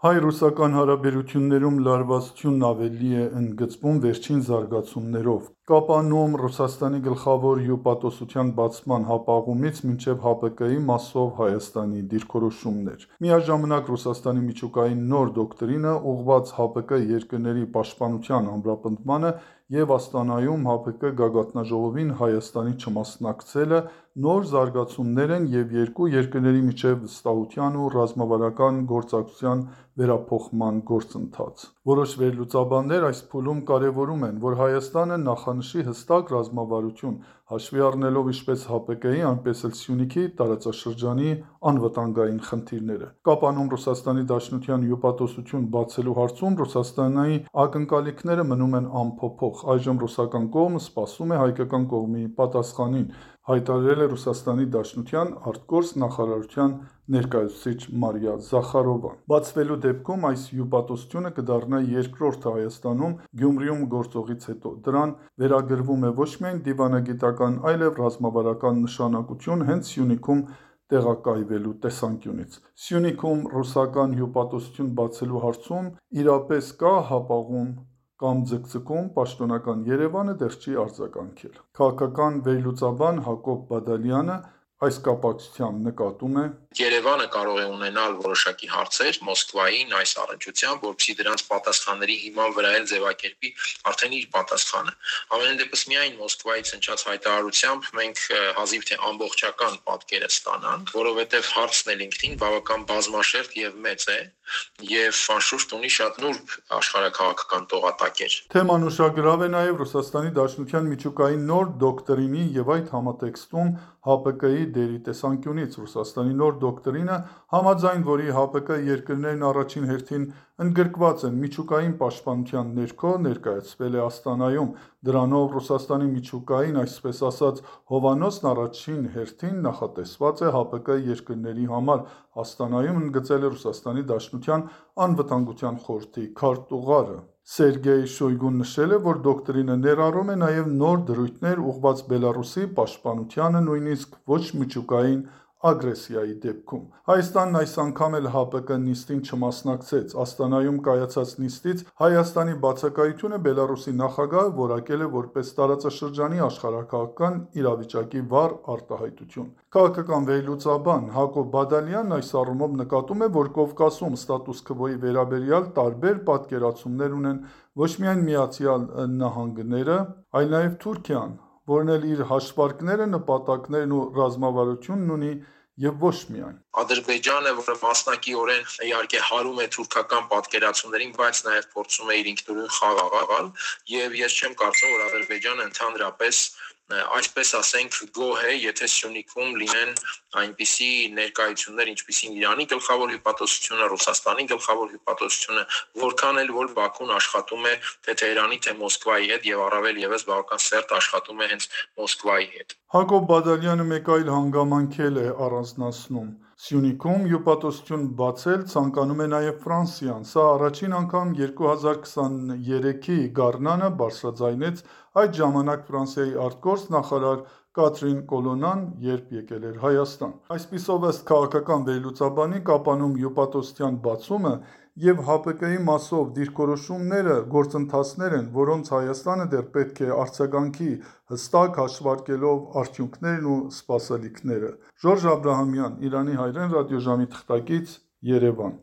Հայ-ռուսական հարաբերություններում լարվածությունն ավելի է ընդգծվում վերջին զարգացումներով։ Կապանում Ռուսաստանի գլխավոր հյուպատոսության բացման հապաղումից մինչև ՀԱՊԿ-ի մասով Հայաստանի դիրքորոշումներ։ Միաժամանակ Ռուսաստանի միջուկային նոր դոկտրինը ուղղված ՀԱՊԿ երկրների պաշտպանության ամրապնդմանը և Աստանայում ՀԱՊԿ գագաթնաժողովին Հայաստանի չմասնակցելը նոր զարգացումներ են և երկու երկրների միջև վստահության ու ռազմավարական գործակցության վերափոխման գործընթաց։ Որոշ վերլուծաբաններ այս փուլում կարևորում են, որ Հայաստանը նախանշի հստակ ռազմավարություն, հաշվի առնելով ինչպես ՀԱՊԿ-ի, այնպես էլ Սյունիքի տարածաշրջանի անվտանգային խնդիրները։ Կապանում Ռուսաստանի Դաշնության հյուպատոսություն բացելու հարցում Ռուսաստանի ակնկալիքները մնում են անփոփոխ։ Այժմ ռուսական կողմը սպասում է հայկական կողմի պատասխանին, հայտարարել է Ռուսաստանի Դաշնության ԱԳ նախարարության ներկայացուցիչ Մարիա Զախարովան։ Բացվելու դեպքում այս հյուպատոսությունը կդառնա երկրորդը Հայաստանում Գյումրիում գործողից հետո։ Դրան վերագրվում է ոչ միայն դիվանագիտական, այլև ռազմավարական նշանակություն հենց Սյունիքում տեղակայվելու տեսանկյունից։ Սյունիքում ռուսական հյուպատոսություն բացելու հարցում իրապես կա հապաղում կամ ձգձգում, պաշտոնական Երևանը դեռ չի արձագանքել։ Քաղաքական վերլուծաբան Հակոբ Բադալյանը այս կապակցությամբ նկատում է. Երևանը կարող է ունենալ որոշակի հարցեր Մոսկվային այս առնչությամբ, որպեսզի դրանց պատասխանների հիման վրա էլ ձևակերպի արդեն իր պատասխանը։ Ամենայն դեպս միայն Մոսկվայից հնչած հայտարարությամբ մենք հազիվ թե ամբողջական պատկերը ստանանք, որովհետև հարցն էլ ինքնին բավական բազմաշերտ եւ մեծ է եւ անշուշտ ունի շատ նուրբ աշխարհաքաղաքական տողատակեր։ Թեման ուշագրավ է նաև Ռուսաստանի Դաշնության միջուկային նոր դոկտրինի եւ այդ համատեքստում ՀԱՊԿ-ի դերի տեսանկյունից։ Ռուսաստանի նոր դոկտրինը, համաձայն որի ՀԱՊԿ երկրներն առաջին հերթին ընդգրկված են միջուկային պաշտպանության ներքո, ներկայացվել է Աստանայում։ Դրանով Ռուսաստանի միջուկային, այսպես ասած, հովանոցն առաջին հերթին նախատեսված է ՀԱՊԿ երկրների համար։ Աստանայում ընդգծել է Ռուսաստանի Դաշնության անվտանգության խորհրդի քարտուղարը։ Սերգեյ Շոյգուն նշել է, որ դոկտրինը ներառում է նաև նոր դրույթներ ուղղված Բելարուսի պաշտպանությանը, նույնիսկ ոչ միջուկային ագրեսիայի դեպքում։ Հայաստանն այս անգամ էլ ՀԱՊԿ նիստին չմասնակցեց։ Աստանայում կայացած նիստից Հայաստանի բացակայությունը Բելարուսի նախագահը որակել է որպես տարածաշրջանի աշխարհաքաղաքական իրավիճակի վառ արտահայտություն։ Քաղաքական վերլուծաբան Հակոբ Բադալյանն այս առումով նկատում է, որ Կովկասում ստատուս քվոյի վերաբերյալ տարբեր պատկերացումներ ունեն ոչ միայն ԱՄՆ-ը, այլ նաև Թուրքիան, որն էլ իր հաշվարկները, նպատակներն ու ռազմավարությունն ունի և ոչ միայն։ Ադրբեջանը, որը մասնակիորեն իհարկե հարում է թուրքական պատկերացումներին, բայց նաև փորձում է իր ինքնուրույն խաղ եւ ես չեմ կարծում, որ Ադրբեջանը ընդհանրապես այսպես ասենք գոհ է, եթե Սյունիքում լինեն այնպիսի ներկայություններ, ինչպիսին Իրանի գլխավոր հյուպատոսությունը, Ռուսաստանի գլխավոր հյուպատոսությունը, որքան էլ որ Բաքուն աշխատում է թե Թեհրանի, թե Մոսկվայի հետ եւ առավել եւս բավական սերտ աշխատում է հենց Մոսկվայի հետ։ Հակոբ Բադալյանը մեկ այլ հանգամանք էլ է առանձնացնում։ Սյունիքում հյուպատոսություն բացել ցանկանում է նաև Ֆրանսիան։ Սա առաջին անգամ 2023-ի գարնանը բարձրաձայնեց այդ ժամանակ Ֆրանսիայի արտգործնախարար Կատրին Կոլոննան, երբ եկել էր Հայաստան։ Այսպիսով, ըստ քաղաքական վերլուծաբանի, Կապանում հյուպատոսության բացումը և ՀԱՊԿ-ի մասով դիրքորոշումները գործընթացներ են, որոնց Հայաստանը դեռ պետք է արձագանքի, հստակ հաշվարկելով արդյունքներն ու սպասելիքները։ Ժորժ Աբրահամյան, Իրանի հայրեն ռադիոժամի թղթակից, Երևան։